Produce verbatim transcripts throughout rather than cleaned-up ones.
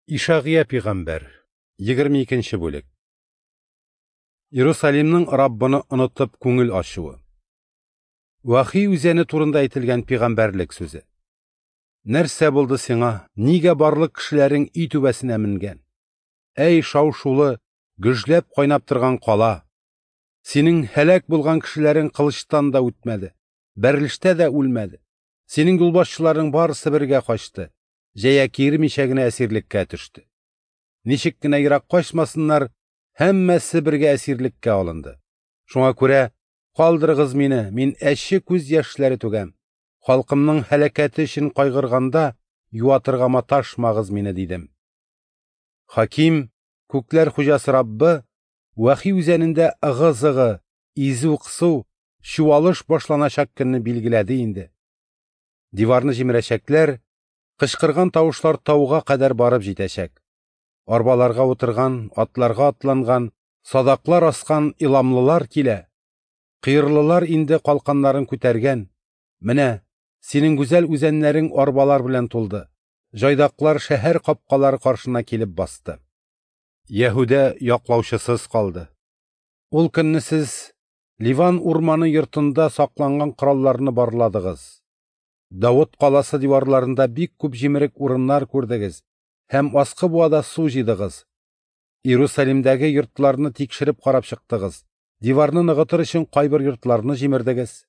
Ишагыя пигамбәр, егерме икенче бүлек. Иерусалимның Раббыны онытып күңел ачуы. Вахи үзәне турында әйтелгән пигамбәрлек сүзе. Нәрсә булды сиңа? Нигә барлык кешеләрең өй түбәсенә менгән? Әй, шау-шулы, гөжләп кайнап торган кала! Синең һәлак булган кешеләрең кылычтан да үтмәде, бәрелештә дә үлмәде. Синең юлбашчыларың барысы бергә качты, җәя киермичә генә әсирлеккә төште. Ничек кенә ерак качмасыннар, һәммәсе бергә әсирлеккә алынды. Шуңа күрә калдырыгыз мине, мин әче күз яшьләре түгәм. Халкымның һәлакәте өчен кайгырганда юатырга маташмагыз мине, дидем. Хаким, күкләр хуҗасы Раббы, Вахи үзәнендә ыгы-зыгы, изү-кысу, чуалыш башланачак көнне билгеләде инде. Диварны җимерәчәкләр, кычкырган тавышлар тауга кадәр барып җитәчәк. Арбаларга утырган, атларга атланган, садаклар аскан иламлылар килә. Кыйрлылар инде калканнарын күтәргән. Менә синең гүзәл үзәннәрең арбалар белән тулды. Җайдаклар шәһәр капкалары каршына килеп басты. Яһүдә яклаучысыз калды. Ул көнне сез Ливан урманы йортында сакланган коралларны барладыгыз. Давыт каласы диварларында бик күп җимерек урыннар күрдегез һәм аскы буада су җыйдыгыз. Иерусалимдәге йортларны тикшереп карап чыктыгыз. Диварны ныгытыр өчен кайбер йортларны җимердегез.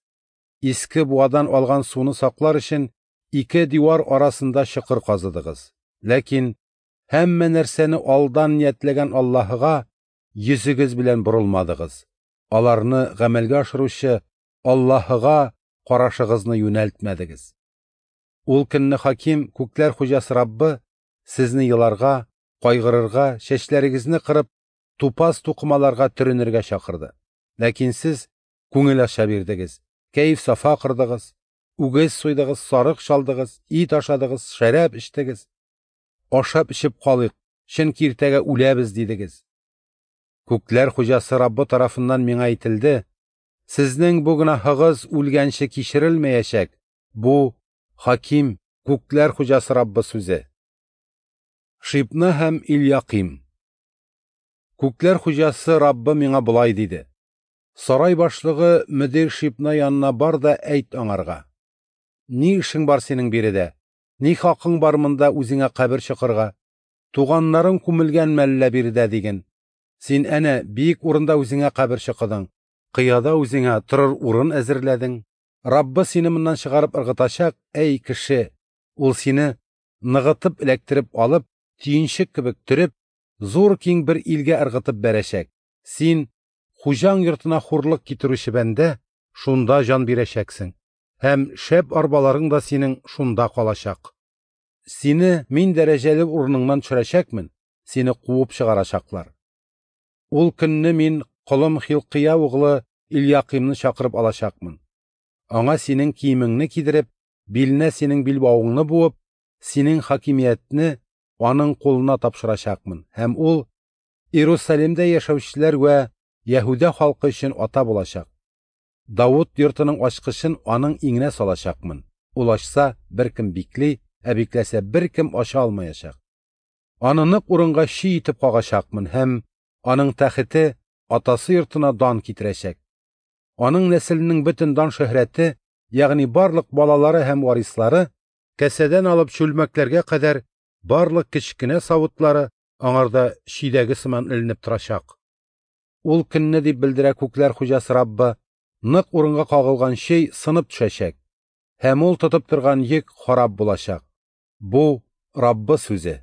Иске буадан алган суны саклар өчен ике дивар арасында чокыр казыдыгыз. Ләкин һәммә нәрсәне алдан ниятләгән Аллаһыга йөзегез белән борылмадыгыз. Аларны гамәлгә ашыручы Аллаһыга карашыгызны юнәлтмәдегез. Ул көнне хаким, күкләр хуҗасы Раббы, сезне еларга, кайгырырга, чәчләрегезне кырып, тупас тукымаларга төренергә чакырды. Ләкин сез күңел ача бирдегез, кәеф-сафа кырдыгыз, үгез суйдыгыз, сарык чалдыгыз, ит ашадыгыз, шәраб эчтегез. Ашап эчеп калыйк, чөнки иртәгә үләбез, дидегез. Күкләр хуҗасы Раббы тарафыннан миңа әйтелде: сезнең бу гөнаһыгыз үлгәнче кичерелмәячәк. Бу хаким, күкләр хуҗасы Раббы сүзе. Шибна һәм Ильяким. Күкләр хуҗасы Раббы миңа болай диде: Сарай башлыгы мөдир Шибна янына бар да әйт аңарга: Ни эшең бар синең биредә? Ни хакың бар монда үзеңә кабер чокырга? Туганнарың күмелгән мәллә биредә, диген. Син әнә биек урында үзеңә кабер чокыдың, кыяда үзеңә торыр урын әзерләдең. Раббы сине моннан чыгарып ыргытачак, әй кеше! Ул сине ныгытып эләктереп алып, төенчек кебек төреп, зур киң бер илгә ыргытып бәрәчәк. Син, хуҗаң йортына хурлык китерүче бәндә, шунда җан бирәчәксең, һәм шәп арбаларың да синең шунда калачак. Сине мин дәрәҗәле урыныңнан төшерәчәкмен, сине куып чыгарачаклар. Ул көнне мин колым Хилкия углы Ильякимны чакырып алачакмын. Аңа синең киемеңне кидереп, биленә синең билбавыңны буып, синең хакимиятне аның кулына тапшырачакмын, һәм ул Иерусалимдә яшәүчеләр вә Яһүдә халкы өчен ата булачак. Давыт йортының ачкычын аның иңенә салачакмын. Ул ачса, беркем бикли, ә бикләсә, беркем ача алмаячак. Аны нык урынга чөй итеп кагачакмын, һәм аның тәхете атасы йортына дан китерәчәк. Аның нәселенең бөтен дан шөһрәте, ягъни барлык балалары һәм варислары, кәсәдән алып чүлмәкләргә кадәр барлык кечкенә савытлары аңарда чөйдәге сыман эленеп торачак. Ул көнне, дип белдерә күкләр хуҗасы Раббы, нык урынга кагылган чөй сынып төшәчәк, һәм ул тотып торган йөк харап булачак. Бу Раббы сүзе.